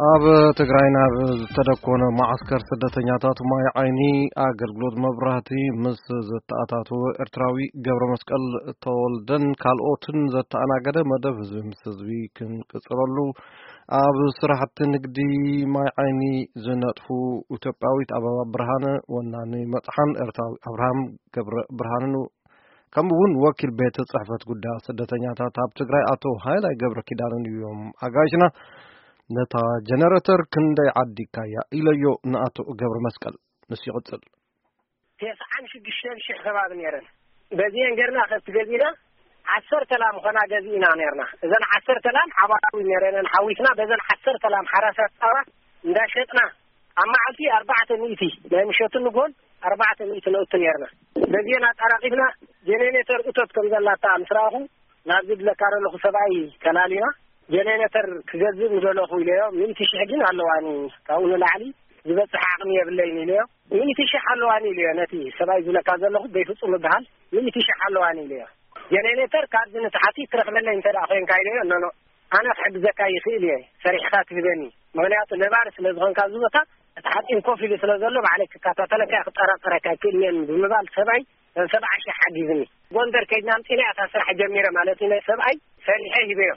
ኣብ ትግራይ ናብ ዝተደኮነ መዓስከር ስደተኛታት ማይ ዓይኒ ኣገልግሎት መብራህቲ ምስ ዘተኣታተወ ኤርትራዊ ገብረ መስቀል ተወልደን ካልኦትን ዘተኣናገደ መደብ ህዝቢ ምስ ህዝቢ ክንቅጽለሉ፣ ኣብ ስራሕቲ ንግዲ ማይ ዓይኒ ዝነጥፉ ኢትዮጵያዊት ኣበባ ብርሃነ፣ ወናኒ መጽሓን ኤርትራዊ ኣብርሃም ገብረ ብርሃንን፣ ከምኡ እውን ወኪል ቤት ጽሕፈት ጉዳያት ስደተኛታት ኣብ ትግራይ ኣቶ ሃይላይ ገብረ ኪዳንን እዮም ኣጋይሽና። ነታ ጀነረተር ክንደይ ዓዲግካያ ኢለዮ ንኣቶ ገብረ መስቀል። ንሱ ይቕጽል። ተስዓን ሽዱሽተን ሽሕ ከባቢ ነይረን። በዚአን ገርና ከብቲ ገዚና ዓሰርተ ላም ኾና ገዚእና ነርና። እዘን ዓሰርተ ላም ሓባራዊ ነረነን ሓዊስና በዘን ዓሰርተ ላም ሓራሳት ፃባ እንዳሸጥና ኣብ መዓልቲ ኣርባዕተ ሚእቲ ናይ ምሸቱ ንጎን ኣርባዕተ ሚእቲ ነእቱ ነርና። በዚአን ኣጣራቂፍና ጀኔሬተር እቶት ከም ዘላታ ምስ ረኣኹ ናብዚ ድለካ ዘለኹ ሰብኣይ ተላሊና ጀኔሬተር ክገዝእ ምደለኹ ኢለዮ። ሚእቲ ሽሕ ግን ኣለዋኒ፣ ካብኡ ንላዕሊ ዝበፅሕ ዓቕሚ የብለይን ኢለዮ። ሚእቲ ሽሕ ኣለዋኒ ኢለዮ። ነቲ ሰብኣይ ዝብለካ ዘለኹ በይፍፁም ይበሃል። ሚእቲ ሽሕ ኣለዋኒ ኢለዮ። ጀኔሬተር ካብዚ ንታሕቲ ትረኽበለይ እንተ ደኣ ኮይንካ ኢለዮ። ኖኖ፣ ኣነ ክሕግዘካ ይኽእል እየ፣ ሰሪሕኻ ትህበኒ። ምኽንያቱ ነባሪ ስለ ዝኾንካ ኣብዚ ቦታ እቲ ሓፂን ኮፍ ኢሉ ስለ ዘሎ ባዕለይ ክከታተለካ እየ፣ ክጠራጠረካ ኣይክእልን እየ ብምባል ሰብኣይ ሰብዓ ሺሕ ሓጊዝኒ። ጎንደር ከይድና ኣምፂና እያ እታ ስራሕ ጀሚረ ማለት እዩ። ናይ ሰብኣይ ሰሪሐ ሂበዮ።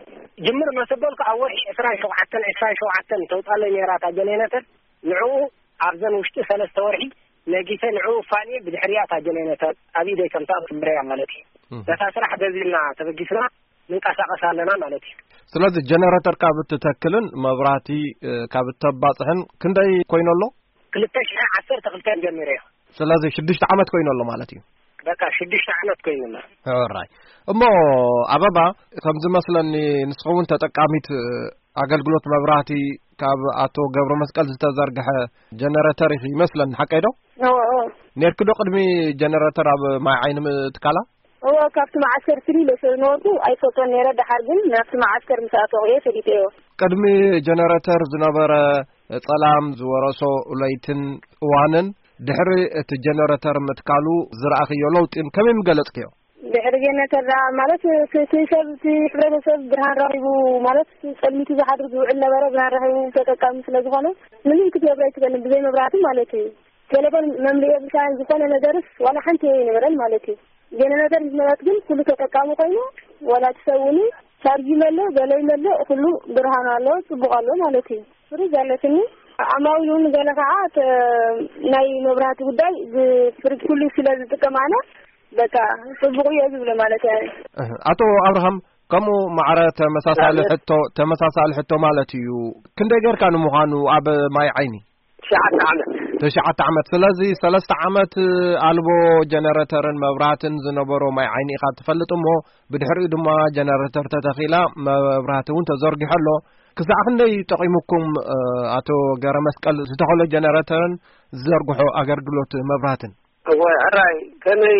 ጅምር መሰበልኩ ኣብ ወርሒ ዕስራን ሸውዓተን፣ ዕስራን ሸውዓተን ተውፃለይ ነይራ እታ ጀኔሬተር። ንዕኡ ኣብዘን ውሽጢ ሰለስተ ወርሒ ነጊሰ ንዕኡ ፋንየ ብድሕሪያ እታ ጀኔሬተር ኣብ ኢደይ ከምታ ትምረያ ማለት እዩ። ነታ ስራሕ በዚልና ተበጊስና ንንቀሳቐስ ኣለና ማለት እዩ። ስለዚ ጀነረተር ካብ እትተክልን መብራህቲ ካብ እተባፅሕን ክንደይ ኮይኑ ኣሎ? ክልተ ሽሕ ዓሰርተ ክልተን ጀሚረ እዮ። ስለዚ ሽዱሽተ ዓመት ኮይኑ ኣሎ ማለት እዩ። በቃ ሽዱሽተ ዓመት ኮይኑ ኣሎ። ሕራይ። እሞ ኣበባ፣ ከም ዝመስለኒ ንስኺ እውን ተጠቃሚት ኣገልግሎት መብራህቲ ካብ ኣቶ ገብረ መስቀል ዝተዘርግሐ ጀነረተር ኢኺ ይመስለኒ፣ ሓቀይ ዶ? እዎ፣ እዎ። ነርኪ ዶ ቅድሚ ጀነረተር ኣብ ማይ ዓይኒ ምትካላ? እዎ፣ ካብቲ መዓስከር ፍልይ ኢለ ስለ ዝነበርኩ ኣይፈልጦን ነይረ። ደሓር ግን ናብቲ መዓስከር ምስ ኣተኹ እየ ፈሊጠዮ። ቅድሚ ጀነረተር ዝነበረ ጸላም ዝወረሶ ለይትን እዋንን ድሕሪ እቲ ጀነረተር ምትካሉ ዝረኣኽዮ ለውጢን ከመይ ምገለጽክዮ? ድሕሪ ጀነረተር ደኣ ማለት እቲ ሰብ፣ እቲ ሕብረተሰብ ብርሃን ረኺቡ ማለት ጸልሚቱ ዝሓድር ዝውዕል ነበረ፣ ብርሃን ረኺቡ ተጠቃሚ ስለ ዝኾነ ምንም ክትገብር ኣይትኽእልን ብዘይ መብራህቲ ማለት እዩ። ቴሌፎን መምልኢ የብልካን፣ ዝኾነ ነገርስ ዋላ ሓንቲ ኣይነበረን ማለት እዩ። ጀነረተር ምስ መጸት ግን ኩሉ ተጠቃሚ ኮይኑ፣ ዋላ እቲ ሰብ እውን ቻርጅ ይመልእ ገለ ይመልእ ኩሉ ብርሃን ኣሎ፣ ጽቡቕ ኣሎ ማለት እዩ። ፍሪጅ ኣለትኒ። ዓማዊል እውን ገለ ከዓ ተ-፣ ናይ መብራህቲ ጉዳይ ብፍሪጅ ኩሉ ስለ ዝጥቀም ኣነ በቃ ጽቡቕ እየ ዝብሎ ማለት እየ። እህ፣ ኣቶ ኣብርሃም፣ ከምኡ ማዕረ ተመሳሳሊ ኣነ ሕቶ፣ ተመሳሳሊ ሕቶ ማለት እዩ። ክንደይ ጌርካ ንምዃኑ ኣብ ማይ ዓይኒ? ትሽዓተ ዓመት። ትሽዓተ ዓመት። ስለዚ ሰለስተ ዓመት ኣልቦ ጀነረተርን መብራህትን ዝነበሮ ማይ ዓይኒ ኢኻ ትፈልጥ እሞ፣ ብድሕሪኡ ድማ ጀነረተር ተተኺላ፣ መብራህቲ እውን ተዘርጊሑ ኣሎ። ክሳዕ ክንደይ ጠቒሙኩም፣ እ፣ ኣቶ ገረመስቀል ዝተኸሎ ጀነረተርን ዝዘርግሖ ኣገልግሎት መብራህትን? እወ፣ ሕራይ ከመይ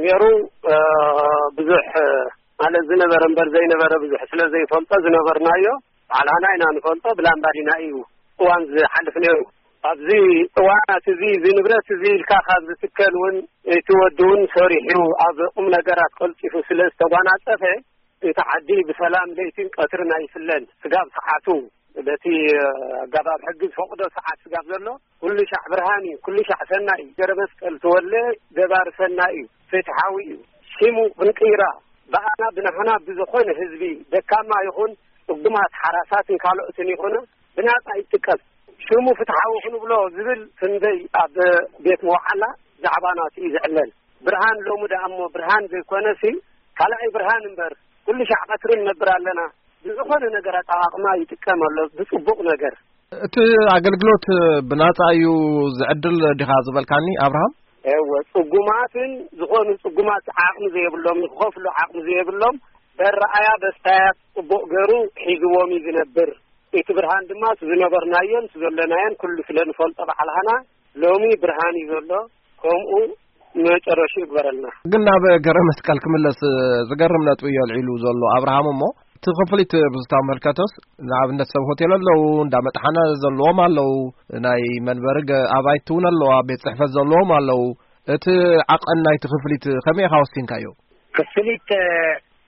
ነይሩ፣ እ፣ ብዙሕ ማለት ዝነበረ እምበር ዘይነበረ ብዙሕ ስለ ዘይፈልጦ ዝነበርናዮ ባዕላና ኢና ንፈልጦ፣ ብላምባዲና እዩ እዋን ዝሓልፍ ነይሩ። ኣብዚ እዋናት እዚ፣ እዚ ንብረት እዚ ኢልካ ካብ ዝትከል እውን፣ እቲ ወዲ እውን ሰሪሑ ኣብ ቁም ነገራት ቀልጢፉ ስለ ዝተጓናጸፈ፣ እቲ ዓዲ ብሰላም ለይትን ቀትርን ኣይፍለን። ስጋብ ሰዓቱ፣ በቲ ኣገባብ ሕጊ ዝፈቕዶ ሰዓት ስጋብ ዘሎ፣ ኩሉ ሻዕ ብርሃን እዩ፣ ኩሉ ሻዕ ሰናይ እዩ። ገረ መስቀል ተወለ ገባር ሰናይ እዩ፣ ፍትሓዊ እዩ። ሽሙ ክንቅይራ፣ ብኣና ብናህና ብዝኾነ ህዝቢ፣ ደካማ ይኹን ጽጉማት ሓራሳትን ካልኦትን ይኹኑ፣ ብናጻ ይጥቀም። ሽሙ ፍትሓዊ ክንብሎ ዝብል ክንደይ ኣብ ቤት መውዓላ ዛዕባ ናቱ እዩ ዝዕለል። ብርሃን ሎሚ ደኣ እሞ ብርሃን ዘይኮነሲ፣ ካልኣይ ብርሃን እምበር፣ ኩሉ ሻዕ ቀትሪ ንነብር ኣለና። ብዝኾነ ነገር ኣጠቓቕማ ይጥቀም ኣሎ፣ ብጽቡቕ ነገር። እቲ ኣገልግሎት ብናጻ እዩ ዝዕድል ዲኻ ዝበልካኒ ኣብርሃም? እወ፣ ጽጉማትን ዝኾኑ ጽጉማት ዓቕሚ ዘይብሎም፣ ንክኸፍሉ ዓቕሚ ዘይብሎም፣ በረኣያ በስታያት ጽቡቕ ገሩ ሒዝዎም እዩ ዝነብር። እቲ ብርሃን ድማ እቲ ዝነበርናዮን እቲ ዘለናዮን ኩሉ ስለ ንፈልጦ ባዕልሃና ሎሚ ብርሃን እዩ ዘሎ። ከምኡ መጨረሹ ይግበረልና። ግን ናብ ገረ መስቀል ክምለስ ዝገርም ነጥቢ እዩ ኣልዒሉ ዘሎ ኣብርሃም። እሞ እቲ ክፍሊት ብዝተመልከተስ ንኣብነት ሰብ ሆቴል ኣለዉ፣ እንዳ መጥሓነ ዘለዎም ኣለዉ፣ ናይ መንበሪ ገ-፣ ኣባይቲ እውን ኣለዋ፣ ቤት ጽሕፈት ዘለዎም ኣለዉ። እቲ ዓቐን ናይቲ ክፍሊት ከመይ ኢኻ ወሲንካዮ? ክፍሊት፣ እ፣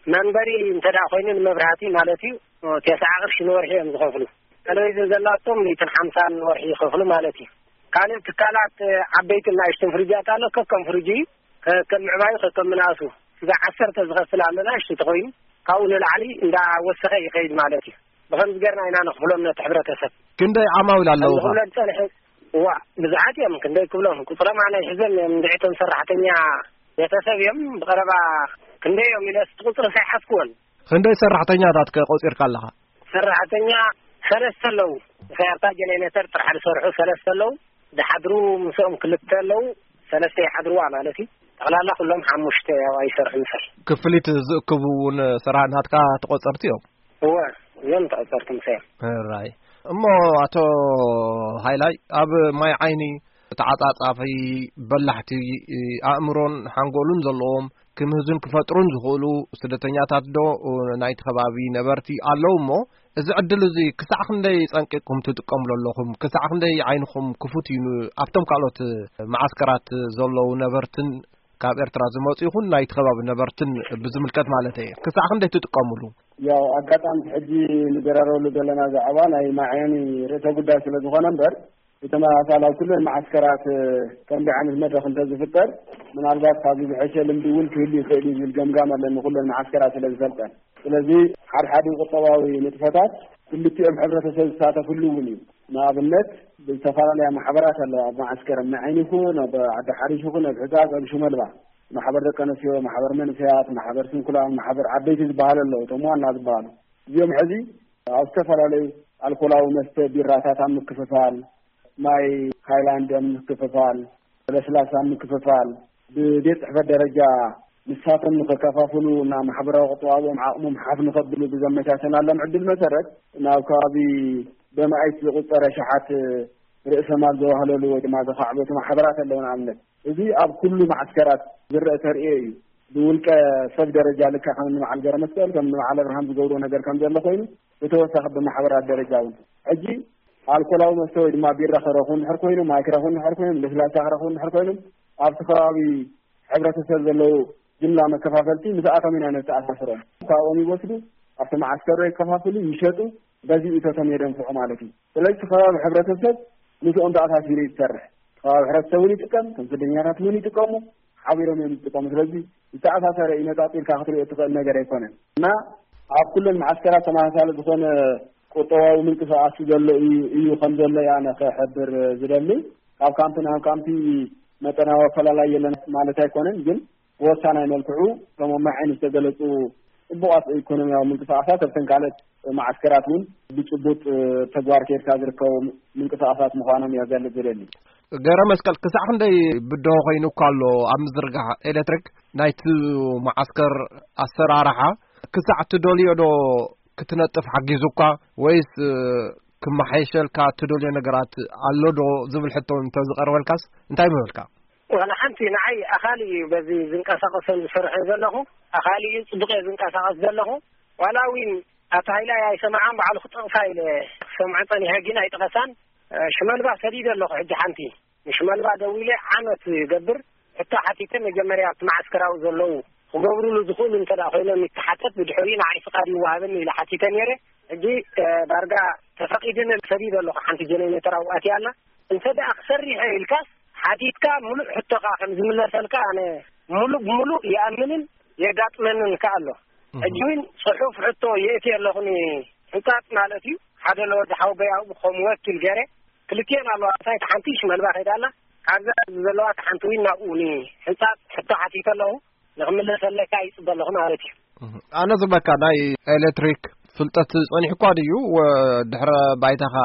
መንበሪ እንተ ደኣ ኮይኑ ንመብራህቲ ማለት እዩ፣ እ፣ ተስዓ ቅርሺ ንወርሒ እዮም ዝኸፍሉ። ተለቪዝን ዘላቶም ሚእትን ሓምሳን ወርሒ ይኸፍሉ ማለት እዩ። ካልእ ትካላት ዓበይትን ንኣሽቱን ፍርጃት ኣሎ። ከከም ፍርጅ እዩ፣ ከከም ምዕባዩ፣ ከከም ምንኣሱ። እዛ ዓሰርተ ዝኸፍል ኣሎ፣ ንኣሽቱ ተኾይኑ ካብኡ ንላዕሊ እንዳወሰኸ ይኸይድ ማለት እዩ። ብኸምዚ ገርና ኢና ንኽፍሎም ነቲ ሕብረተሰብ። ክንደይ ዓማዊል ኣለዉ? ዝኽፍሎ ዝጸንሐ እዋ ብዙሓት እዮም። ክንደይ ክብሎም፣ ቁጽሮም ኣነ ይሕዘም እዮም። እንድዒቶም ሰራሕተኛ ቤተሰብ እዮም። ብቐረባ ክንደይ እዮም ኢለ እቲ ቁጽሪ ሳይሓዝክዎን። ክንደይ ሰራሕተኛታት ከ ቆጺርካ ኣለኻ? ሰራሕተኛ ሰለስተ ኣለዉ። ምኽንያቱ ጀነሬተር ጥራሕ ዝሰርሑ ሰለስተ ኣለዉ። ዝሓድሩ ምስኦም ክልተ ኣለዉ። ሰለስተ ይሓድርዋ ማለት እዩ። ጠቕላላ ኩሎም ሓሙሽተ ያው ኣይሰርሑ ይፈል። ክፍሊት ዝእክቡ እውን ሰራሕናትካ ተቆጸርቲ እዮም? እወ፣ እዮም ተቆጸርቲ ምሳይ። ራይ። እሞ ኣቶ ሃይላይ፣ ኣብ ማይ ዓይኒ ተዓጻጻፊ፣ በላሕቲ፣ ኣእምሮን ሓንጎሉን ዘለዎም ክምህዙን ክፈጥሩን ዝኽእሉ ስደተኛታት ዶ ናይቲ ከባቢ ነበርቲ ኣለዉ እሞ፣ እዚ ዕድል እዚ ክሳዕ ክንደይ ጸንቂቕኩም ትጥቀምሉ ኣለኹም? ክሳዕ ክንደይ ዓይንኹም ክፉት እዩ ን-፣ ኣብቶም ካልኦት መዓስከራት ዘለዉ ነበርትን ካብ ኤርትራ ዝመጹ ይኹን ናይቲ ከባቢ ነበርትን ብዝምልከት ማለት እየ። ክሳዕ ክንደይ ትጥቀምሉ? ያው ኣጋጣሚ ሕጂ ንደራረበሉ ዘለና ዛዕባ ናይ ማዕዮኒ ርእሰ ጉዳይ ስለ ዝኾነ እምበር፣ ብተመሳሳሊ ኣብ ኩለን መዓስከራት ከምዚ ዓይነት መድረኽ እንተዝፍጠር፣ ምናልባት ካብዚ ዝሐሸ ልምዲ እውን ክህሉ ይኽእል እዩ ዝብል ገምጋም ኣለኒ፣ ኩለን መዓስከራት ስለ ዝፈልጠን። ስለዚ ሓድሓዲ ቁጠባዊ ንጥፈታት ክልቲኦም ሕብረተሰብ ዝሳተፍሉ እውን እዩ። ንኣብነት ብዝተፈላለያ ማሕበራት ኣለዋ፣ ኣብ መዓስከር ኣብ መዓይኒ ይኹን፣ ኣብ ዓዲ ሓሪሽ ይኹን፣ ኣብ ሕጻጽ፣ ኣብ ሽመልባ፣ ማሕበር ደቂ ኣንስትዮ፣ ማሕበር መንእሰያት፣ ማሕበር ስንኩላን፣ ማሕበር ዓበይቲ ዝበሃሉ ኣለዉ፣ እቶም ዋና ዝበሃሉ። እዚኦም ሕዚ ኣብ ዝተፈላለዩ ኣልኮላዊ መስተ ቢራታት ኣብ ምክፍፋል፣ ማይ ሃይላንድ ኣብ ምክፍፋል፣ ለስላሳ ኣብ ምክፍፋል፣ ብቤት ጽሕፈት ደረጃ ንሳቶም ንኸከፋፍሉ እና ማሕበራዊ ቁጠባኦም ዓቕሞም ሓፍ ንኸብሉ ብዘመቻቸናሎም ዕድል መሰረት ናብ ከባቢ በመኣይት ዝቑጸረ ሸሓት ርእሰ ማል ዘዋህለሉ ወይ ድማ ዘኻዕበቱ ማሕበራት ኣለዉ። ንኣብነት፣ እዚ ኣብ ኩሉ መዓስከራት ዝረአ ተርእዮ እዩ። ብውልቀ ሰብ ደረጃ ልክዕ ከም እኒ በዓል ገረመስቀል፣ ከም እኒ በዓል ኣብርሃም ዝገብርዎ ነገር ከም ዘሎ ኮይኑ፣ ብተወሳኺ ብማሕበራት ደረጃ እውን ሕጂ ኣልኮላዊ መስተ ወይ ድማ ቢራ ክረኽቡ እንድሕር ኮይኖም፣ ማይ ክረኽቡ እንድሕር ኮይኖም፣ ለስላሳ ክረኽቡ እንድሕር ኮይኖም፣ ኣብቲ ከባቢ ሕብረተሰብ ዘለዉ ጅምላ መከፋፈልቲ ምስኣቶም ኢና ነተኣሳስሮም። ካብኦም ይወስዱ፣ ኣብቲ መዓስከር የከፋፍሉ፣ ይሸጡ፣ በዚ እቶቶም የደንፍዑ ማለት እዩ። ስለዚ እቲ ከባቢ ሕብረተሰብ ምስኦም ተኣሳሲሩ እዩ ዝሰርሕ። እቲ ከባቢ ሕብረተሰብ እውን ይጥቀም፣ እቶም ስደኛታት እውን ይጥቀሙ፣ ሓቢሮም እዮም ዝጥቀሙ። ስለዚ ዝተኣሳሰረ እዩ፣ ነጻጺልካ ክትሪኦ እትኽእል ነገር ኣይኮነን። እና ኣብ ኩለን መዓስከራት ተመሳሳሊ ዝኾነ ቁጠባዊ ምንቅስቃስ ዘሎ እዩ፣ እዩ ከም ዘሎ እየ ኣነ ክሕብር ዝደሊ። ካብ ካምፕ ናብ ካምፕ መጠናዊ ኣፈላላይ የለን ማለት ኣይኮነን፣ ግን ብወሳናይ መልክዑ እቶም ኣብ ማይ ዓይኒ ዝተገለጹ ጽቡቓት ኢኮኖሚያዊ ምንቅስቃሳት ኣብተን ካልኦት መዓስከራት እውን ብጭቡጥ ተግባር ኬድካ ዝርከቡ ምንቅስቃሳት ምዃኖም እየ ክገልጽ ዝደሊ። ገረ መስቀል፣ ክሳዕ ክንደይ ብድሆ ኮይኑ እኳ ኣሎ ኣብ ምዝርጋሕ ኤሌክትሪክ ናይቲ መዓስከር ኣሰራርሓ? ክሳዕ ትደልዮ ዶ ክትነጥፍ ሓጊዙካ፣ ወይስ ክመሓየሸልካ ትደልዮ ነገራት ኣሎ ዶ ዝብል ሕቶ እንተዝቐርበልካስ እንታይ ምበልካ? ዋላ ሓንቲ፣ ንዓይ ኣኻሊ እዩ በዚ ዝንቀሳቐሰሉ ዝሰርሐ ዘለኹ፣ ኣኻሊ እዩ ጽቡቕ እየ ዝንቀሳቐስ ዘለኹ። ዋላ እውን ኣቶ ሃይላይ ኣይሰምዓን፣ ባዕሉ ክጠቕሳ ኢለ ክሰምዖ ጸኒሐ፣ ግን ኣይጠቐሳን። ሽመልባ ሰዲደ ኣለኹ። ሕጂ ሓንቲ ንሽመልባ ደዊለ ዓመት ይገብር፣ ሕቶ ሓቲተ፣ መጀመርያ ኣብቲ መዓስከራዊ ዘለዉ ክገብሩሉ ዝኽእሉ እንተ ደኣ ኮይኖም ይተሓተት፣ ብድሕሪኡ ንዓይ ፍቓድ ይወሃበኒ ኢለ ሓቲተ ነይረ። ሕጂ ዳርጋ ተፈቒድኒ፣ ሰዲደ ኣለኹ። ሓንቲ ጀነሬተር ኣብኡ ኣትያ ኣላ። እንተ ደኣ ክሰርሕ ኢልካስ ሓቲትካ፣ ምሉእ ሕቶኻ ከም ዝምለሰልካ ኣነ ምሉእ ብምሉእ ይኣምንን የጋጥመንን ከኣ ኣሎ። ሕጂ እውን ጽሑፍ ሕቶ የእትየ ኣለኹ፣ ንሕንጻጽ ማለት እዩ። ሓደ ለወዲ ሓውበይ ኣብኡ ከም ወኪል ገይረ፣ ክልቲኤን ኣለዋ። እታ ሓንቲ ሽመልባ ከይዳ ኣላ። ካብዛ ዘለዋ እታ ሓንቲ እውን ናብኡ ንሕንጻጽ ሕቶ ሓቲተ ኣለኹ። ንኽምለሰለካ ይጽበ ኣለኹ ማለት እዩ። ኣነ ዝበካ ናይ ኤሌክትሪክ ፍልጠት ጸኒሕኳ ድዩ? ወ-፣ ድሕረ ባይታኻ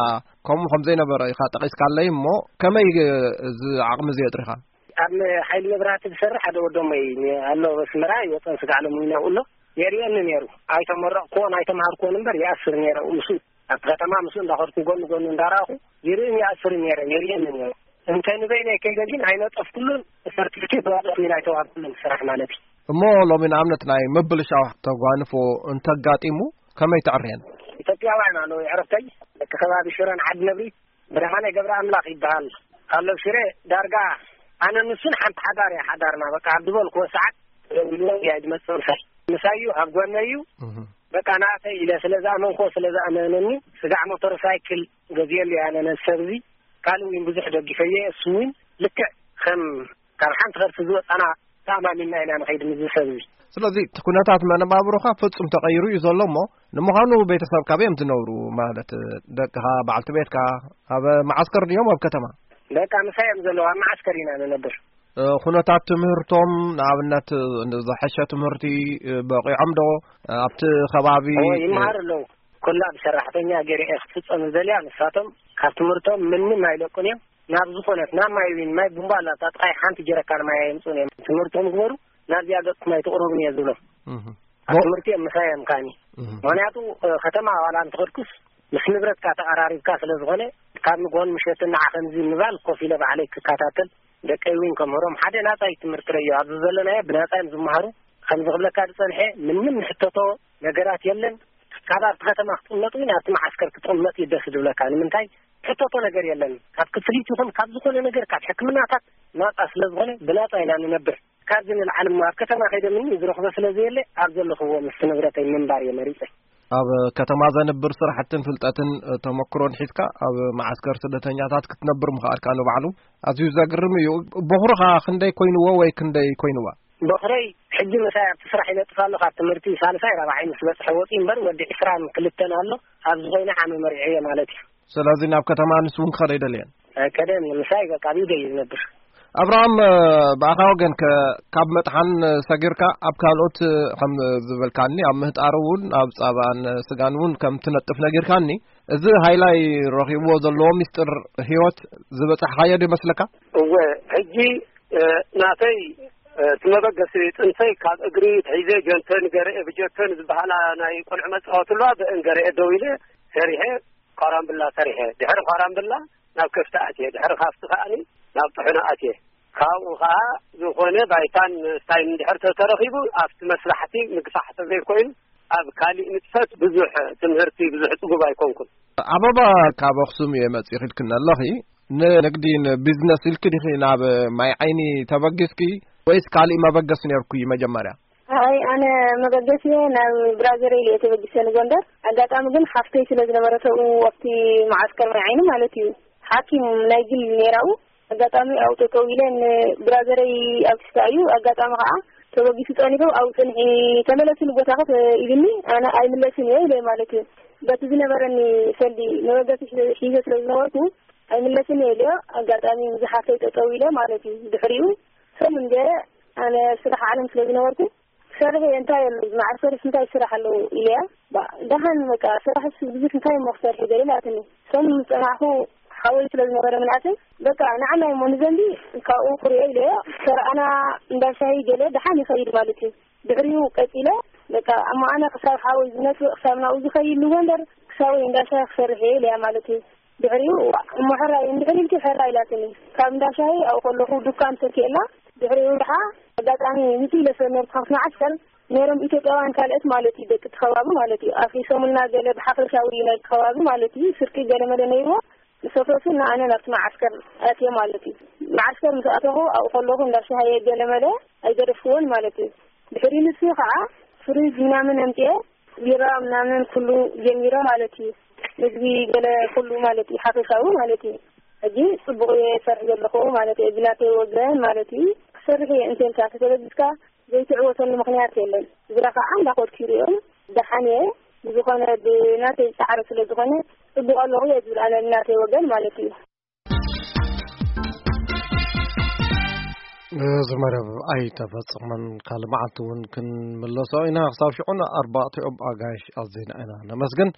ከምኡ ከም ዘይነበረ ኢኻ ጠቒስካለይ እሞ፣ ከመይ እዚ ዓቕሚ እዚ የጥሪኻ? ኣብ ሓይሊ መብራህቲ ዝሰርሕ ሓደ ወዶመይ ኣሎ፣ ኣብ ኣስመራ ይወጸን ስጋዕ ሎሚ ይነብኡ ኣሎ። የርእየኒ ነይሩ። ኣይተመረቕኩዎን ኣይተምሃርኩዎን እምበር ይኣስር ነይረ ምስኡ። ኣብቲ ከተማ ምስኡ እንዳኸድኩ ጎኒ ጎኒ እንዳረኣኹ ይርእን ይኣስርን ነይረ፣ የርእየኒ ነይሩ። እንተ ንበይነይ ከይደ ግን ኣይነጠፍኩሉን፣ ሰርቲፊኬት ዋላ ኮይን ኣይተዋህብኩሉን ስራሕ ማለት እዩ። እሞ ሎሚ ንኣብነት ናይ ምብልሻው ተጓንፎ እንተጋጢሙ ከመይ ተዕርየን? ኢትዮጵያውያን ኣለዉ የዕርኽተይ፣ ደቂ ከባቢ ሽረን ዓዲ ነብሪ፣ ብርሃነ ገብረ ኣምላኽ ይበሃል። ኣሎ ሽረ ዳርጋ ኣነ ንሱን ሓንቲ ሓዳር እያ ሓዳርና። በቃ ኣብ ዝበልክዎ ሰዓት ደዊሉ እያ ዝመጽእ ምሳይ። ምሳይ እዩ፣ ኣብ ጎነይ እዩ። እህ። በቃ ናተይ ኢለ ስለ ዝኣመንኮ ስለ ዝኣመነኒ ስጋዕ ሞተር ሳይክል ገዚኤሉ እያ ነዚ ሰብ እዚ። ካልእ እውን ብዙሕ ደጊፈየ። እሱ እውን ልክዕ ከም ካብ ሓንቲ ከርሲ ዝወፃና ተኣማሚንና ኢና ንኸይድ ምስዚ ሰብ እዚ። ስለዚ እቲ ኩነታት መነባብሮኻ ፍጹም ተቐይሩ እዩ ዘሎ እሞ፣ ንምዃኑ ቤተሰብ ካበይ እዮም ዝነብሩ? ማለት ደቅኻ፣ በዓልቲ ቤትካ ኣብ መዓስከር ድዮም ኣብ ከተማ? በቃ ምሳይ እዮም ዘለዉ፣ ኣብ መዓስከር ኢና ንነብር። እ፣ ኩነታት ትምህርቶም ንኣብነት ዝሐሸ ትምህርቲ፣ እ፣ በቂዖም ዶ ኣብቲ ከባቢ? ኦ፣ ይመሃሩ ኣለዉ። ኩላ ብሰራሕተኛ ገይረ እየ ክትፍጸም ዝደልያ። ንሳቶም ካብ ትምህርቶም ምንም ኣይለቁን እዮም። ናብ ዝኾነት ናብ ማይ ዊን ማይ ቡምባ ኣላ፣ እታ ጥቃይ ሓንቲ ጀረካን ማይ ኣየምጹን እዮም። ትምህርቶም ግበሩ፣ ናብዚኣ ገጽኩም ኣይትቕረቡን እየ ዝብሎም። እህ። ኣብ ትምህርቲ እዮም ምሳይ እዮም ከዓኒ። እህ። ምኽንያቱ፣ እ፣ ከተማ ዋላ እንተኸድኩስ ምስ ንብረትካ ተቐራሪብካ ስለ ዝኾነ፣ ካብ ንግሆን ምሸትን ንዓ ከምዚ ምባል ኮፍ ኢለ ባዕለይ ክከታተል፣ ደቀይ እውን ከምህሮም ሓደ ናጻ እዩ ትምህርቲ ረዮ። ኣብዚ ዘለናዮ ብናጻ እዮም ዝመሃሩ። ከምዚ ክብለካ ዝጸንሐ ምንም ንሕተቶ ነገራት የለን። ካብ ኣብቲ ከተማ ክጥመጥ እውን ኣብቲ መዓስከር ክጥመጥ እዩ ደስ ዝብለካ። ንምንታይ? ሕተቶ ነገር የለን። ካብ ክፍሊት ይኹን ካብ ዝኾነ ነገር፣ ካብ ሕክምናታት ናጻ ስለ ዝኾነ ብናጻ ኢና ንነብር። ካብዚ ንላዕሊ እሞ ኣብ ከተማ ከይደ ምንም ዝረኽቦ ስለ ዘየለ ኣብ ዘለኽዎ ምስ ንብረተይ ምንባር እየ መሪጸ። ኣብ ከተማ ዘንብር ስራሕትን ፍልጠትን፣ እ፣ ተመክሮን ሒዝካ ኣብ መዓስከር ስደተኛታት ክትነብር ምኽኣልካ ንባዕሉ ኣዝዩ ዘግርም እዩ። በኹርኻ ክንደይ ኮይንዎ ወይ ክንደይ ኮይንዋ? በኹረይ ሕጂ ምሳይ ኣብቲ ስራሕ ይነጥፍ ኣሎ። ካብ ትምህርቲ ሳልሳይ ራብዓይ ምስ በጽሐ ወጺኡ እምበር ወዲ ዕስራን ክልተን ኣሎ። ኣብዚ ኮይነ ዓመ መሪዐዮ ማለት እዩ። ስለዚ ናብ ከተማ ንሱ እውን ክኸደ ኣይደልየን? ኣይከደን። ምሳይ በቃ ኣብ ኢደይ እዩ ዝነብር። ኣብርሃም፣ እ፣ ብኣኻ ወገን ከ ካብ መጥሓን ሰጊርካ ኣብ ካልኦት፣ እ፣ ከም ዝበልካኒ ኣብ ምህጣር እውን ኣብ ጻባን ስጋን እውን ከም ትነጥፍ ነጊርካኒ፣ እዚ ሃይላይ ረኺብዎ ዘለዎ ሚስጥር ህይወት ዝበጻሕካዮ ዶ ይመስለካ? እወ፣ ሕጂ፣ እ፣ ናተይ፣ እ፣ እቲ መበገሲ ጥንሰይ ካብ እግሪ ትሒዘ ጀንተን ገረኤ ብጀተን ዝበሃላ ናይ ቆልዑ መጻወቲ ኣለዋ፣ ብአን ገረኤ ደው ኢለ ሰሪሐ፣ ኳራምብላ ሰሪሐ። ድሕሪ ኳራምብላ ናብ ከፍቲ ኣትየ። ድሕሪ ካፍቲ ከኣኒ ናብ ጥሕኖ ኣትየ። ካብኡ ኸዓ ዝኾነ ባይታን ስታይን እንድሕር ተተረኺቡ ኣብቲ መስራሕቲ ምግፋሕ ተዘይኮይኑ ኣብ ካሊእ ንጥፈት ብዙሕ ትምህርቲ ብዙሕ ጽጉብ ኣይኮንኩን። ኣበባ ካብ ኣኽሱም እየ መጺኺ ኢልክኒ ኣለኺ። ንንግዲ ንቢዝነስ ኢልኪ ዲኺ ናብ ማይ ዓይኒ ተበጊስኪ ወይስ ካሊእ መበገሲ ነይርኩ መጀመርያ? ኣይ፣ ኣነ መበገሲየ ናብ ብራዘረይ ኢለ ተበጊሰ ንጎንደር። ኣጋጣሚ ግን ሓፍተይ ስለ ዝነበረት ኣብኡ ኣብቲ መዓስከር ማይ ዓይኒ ማለት እዩ፣ ሓኪም ናይ ግል ነይራኡ። ኣጋጣሚ ኣብኡ ጠጠው ኢለ ንብራዘረይ ኣብ ክስታ እዩ። ኣጋጣሚ ከዓ ተበጊሱ ጸኒሑ ኣብኡ ጽንሒ፣ ተመለሲ ንቦታኺ ኢሉኒ። ኣነ ኣይምለስን እየ ኢለ ማለት እዩ። በቲ ዝነበረኒ ሰልዲ መበገሲ ሒዘ ስለ ዝነበርኩ ኣይምለስን እየ ኢለዮ። ኣጋጣሚ ምስ ሓፍተይ ጠጠው ኢለ ማለት እዩ። ድሕሪኡ ሰሙን ገይረ ኣነ ስራሕ ዓለም ስለ ዝነበርኩ ክሰርሕ እየ፣ እንታይ ኣሎ እዚ መዓስከርስ እንታይ ስራሕ ኣለዎ ኢለያ። ባ-፣ ደሓን በቃ ስራሕስ ብዙሕ እንታይ እሞ ክሰርሕ ገለ ኢላትኒ። ሰሙን ምስ ጸናሕኩ ሓወይ ስለ ዝነበረ ምንኣተይ በቃ ንዓናይ እሞ ንዘንቢ ካብኡ ክርእዮ ኢለዮ። ሰረኣና እንዳ ሻሂ ገለ ደሓን ይኸይድ ማለት እዩ። ድሕሪኡ ቀጺለ በቃ እሞ ኣነ ክሳብ ሓወይ ዝመጽእ ክሳብ ናብኡ ዝኸይድ ንጎንደር ክሳብ ወይ እንዳ ሻሂ ክሰርሕ እየ ኢለያ ማለት እዩ። ድሕሪኡ እሞ ሕራይ እንድሕር ኢልኪ ሕራይ ኢላትኒ። ካብ እንዳ ሻሂ ኣብኡ ከለኹ ዱካን ተኪኤላ። ድሕሪኡ ደሓ ኣጋጣሚ ምጽእ ኢለ ስለ ነበርኩ ካብቲ መዓስከር ነይሮም ኢትዮጵያውያን ካልኦት ማለት እዩ፣ ደቂ እቲ ከባቢ ማለት እዩ። ኣፍሪሶምልና ገለ ብሓፈሻዊ ናይቲ ከባቢ ማለት እዩ፣ ስርቂ ገለ መለ ነይርዎ። ምስ ኣፍረሱና ኣነ ናብቲ መዓስከር ኣትየ ማለት እዩ። መዓስከር ምስ ኣተኹ ኣብኡ ከለኹ እንዳ ሻሂ ገለ መለ ኣይገደፍክዎን ማለት እዩ። ድሕሪ ንሱ ከዓ ፍሪጅ ምናምን ኣምፅኤ ቢራ ምናምን ኩሉ ጀሚረ ማለት እዩ። ምግቢ ገለ ኩሉ ማለት እዩ፣ ሓፈሻዊ ማለት እዩ። ሕጂ ጽቡቕ እየ እሰርሕ ዘለኹ ማለት እየ፣ ብናተይ ወገን ማለት እዩ። ክሰርሕ እየ እንተልካ ተተበጊስካ ዘይትዕወተሉ ምኽንያት የለን። ግብረ ከዓ እንዳኸድኩ ይሪኦም ደሓን እየ። ብዝኾነ ብናተይ ጻዕሪ ስለ ዝኾነ ጽቡቕ ኣለኹ እየ ዝብል ኣነ ብናተይ ወገን ማለት እዩ። እዚ መደብ ኣይተፈጸመን፣ ካልእ መዓልቲ እውን ክንምለሶ ኢና። ክሳብ ሽዑ ንኣርባዕቲኦም ኣጋይሽ ኣዚና ኢና ነመስግን።